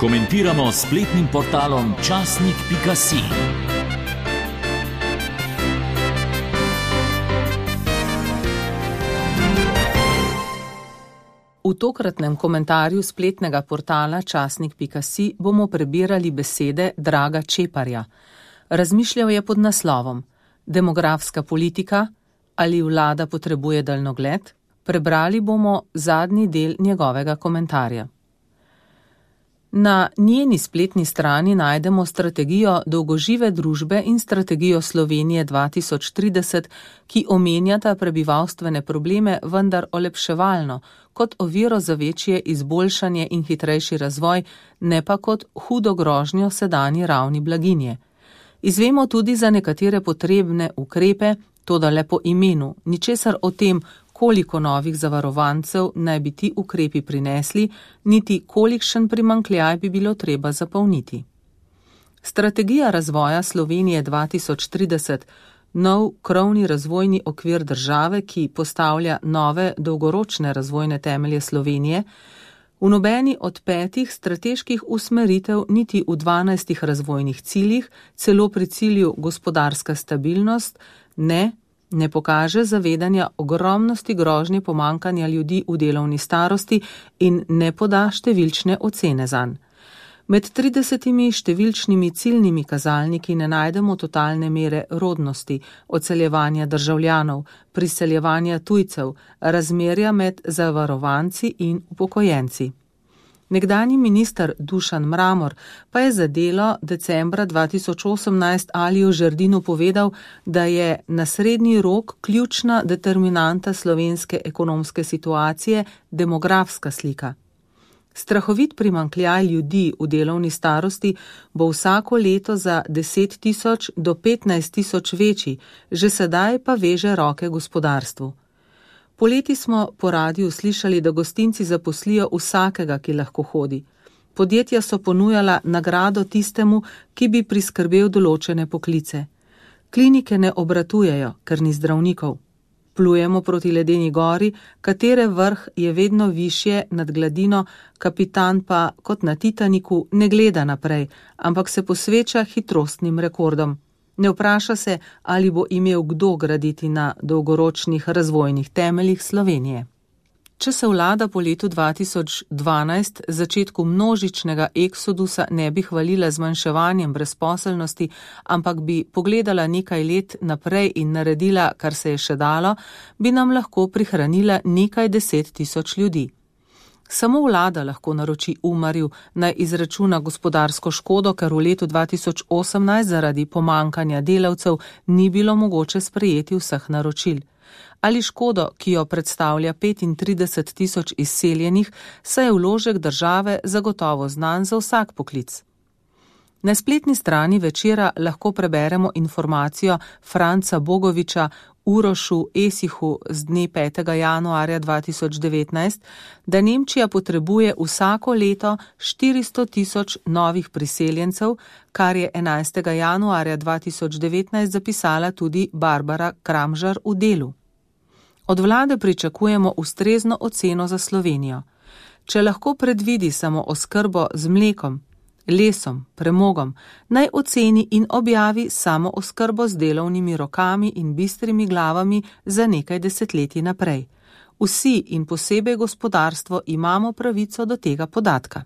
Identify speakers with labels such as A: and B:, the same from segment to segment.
A: Komentiramo s spletnim portalom časnik.si.
B: V tokratnem komentarju spletnega portala časnik.si bomo prebirali besede Draga Čeparja. Razmišljal je pod naslovom Demografska politika ali vlada potrebuje daljnogled? Prebrali bomo zadnji del njegovega komentarja. Na njeni spletni strani najdemo strategijo dolgožive družbe in strategijo Slovenije 2030, ki omenjata prebivalstvene probleme, vendar olepševalno, kot oviro za večje izboljšanje in hitrejši razvoj, ne pa kot hudo grožnjo sedanji ravni blaginje. Izvemo tudi za nekatere potrebne ukrepe, toda le po imenu, ničesar o tem, koliko novih zavarovancev naj bi ti ukrepi prinesli, niti kolikšen primanjkljaj bi bilo treba zapolniti. Strategija razvoja Slovenije 2030, nov krovni razvojni okvir države, ki postavlja nove dolgoročne razvojne temelje Slovenije, v nobeni od 5 strateških usmeritev, niti v 12 razvojnih ciljih, celo pri cilju gospodarska stabilnost, ne pokaže zavedanja ogromnosti grožnje pomanjkanja ljudi v delovni starosti in ne poda številčne ocene zanj. Med 30 številčnimi ciljnimi kazalniki ne najdemo totalne mere rodnosti, odseljevanja državljanov, priseljevanja tujcev, razmerja med zavarovanci in upokojenci. Nekdanji minister Dušan Mramor pa je za Delo decembra 2018 Aliju Žerdinu povedal, da je na srednji rok ključna determinanta slovenske ekonomske situacije demografska slika. Strahovit primanjkljaj ljudi v delovni starosti bo vsako leto za 10.000 do 15.000 večji, že sedaj pa veže roke gospodarstvu. Poleti smo po radiju slišali, da gostinci zaposlijo vsakega, ki lahko hodi. Podjetja so ponujala nagrado tistemu, ki bi priskrbel določene poklice. Klinike ne obratujejo, ker ni zdravnikov. Plujemo proti ledeni gori, katere vrh je vedno višje nad gladino, kapitan pa, kot na Titaniku, ne gleda naprej, ampak se posveča hitrostnim rekordom. Ne vpraša se, ali bo imel kdo graditi na dolgoročnih razvojnih temeljih Slovenije. Če se vlada po letu 2012, začetku množičnega eksodusa, ne bi hvalila zmanjševanjem brezposelnosti, ampak bi pogledala nekaj let naprej in naredila, kar se je še dalo, bi nam lahko prihranila nekaj 10.000 ljudi. Samo vlada lahko naroči Umarju, naj izračuna gospodarsko škodo, ker v letu 2018 zaradi pomanjkanja delavcev ni bilo mogoče sprejeti vseh naročil. Ali škodo, ki jo predstavlja 35.000 izseljenih, saj je vložek države zagotovo znan za vsak poklic. Na spletni strani Večera lahko preberemo informacijo Franca Bogoviča Urošu Esihu z dne 5. januarja 2019, da Nemčija potrebuje vsako leto 400.000 novih priseljencev, kar je 11. januarja 2019 zapisala tudi Barbara Kramžar v Delu. Od vlade pričakujemo ustrezno oceno za Slovenijo. Če lahko predvidi samo oskrbo z mlekom, lesom, premogom, naj oceni in objavi samo oskrbo z delovnimi rokami in bistrimi glavami za nekaj desetletij naprej. Vsi in posebej gospodarstvo imamo pravico do tega podatka.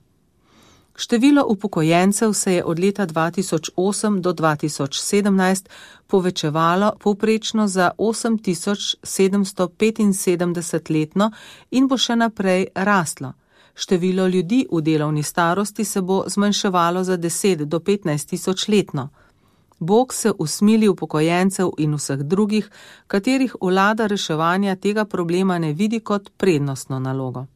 B: Število upokojencev se je od leta 2008 do 2017 povečevalo povprečno za 8.775 letno in bo še naprej rastlo. Število ljudi v delovni starosti se bo zmanjševalo za 10 do 15.000 letno. Bog se usmili upokojencev in vseh drugih, katerih vlada reševanja tega problema ne vidi kot prednostno nalogo.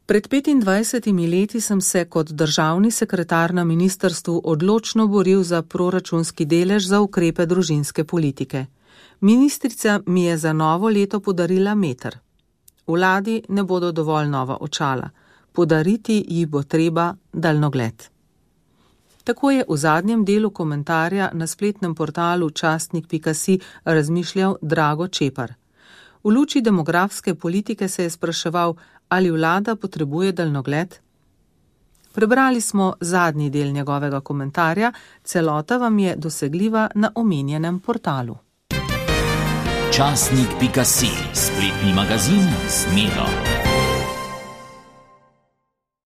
B: Pred 25 leti sem se kot državni sekretar na ministrstvu odločno boril za proračunski delež za ukrepe družinske politike. Ministrica mi je za novo leto podarila meter. Vladi ne bodo dovolj nova očala. Podariti ji bo treba daljnogled. Tako je v zadnjem delu komentarja na spletnem portalu časnik.si razmišljal Drago Čepar. V luči demografske politike se je spraševal, ali vlada potrebuje daljnogled. Prebrali smo zadnji del njegovega komentarja, celota vam je dosegljiva na omenjenem portalu.
A: Časnik.si, spletni magazin z Miro.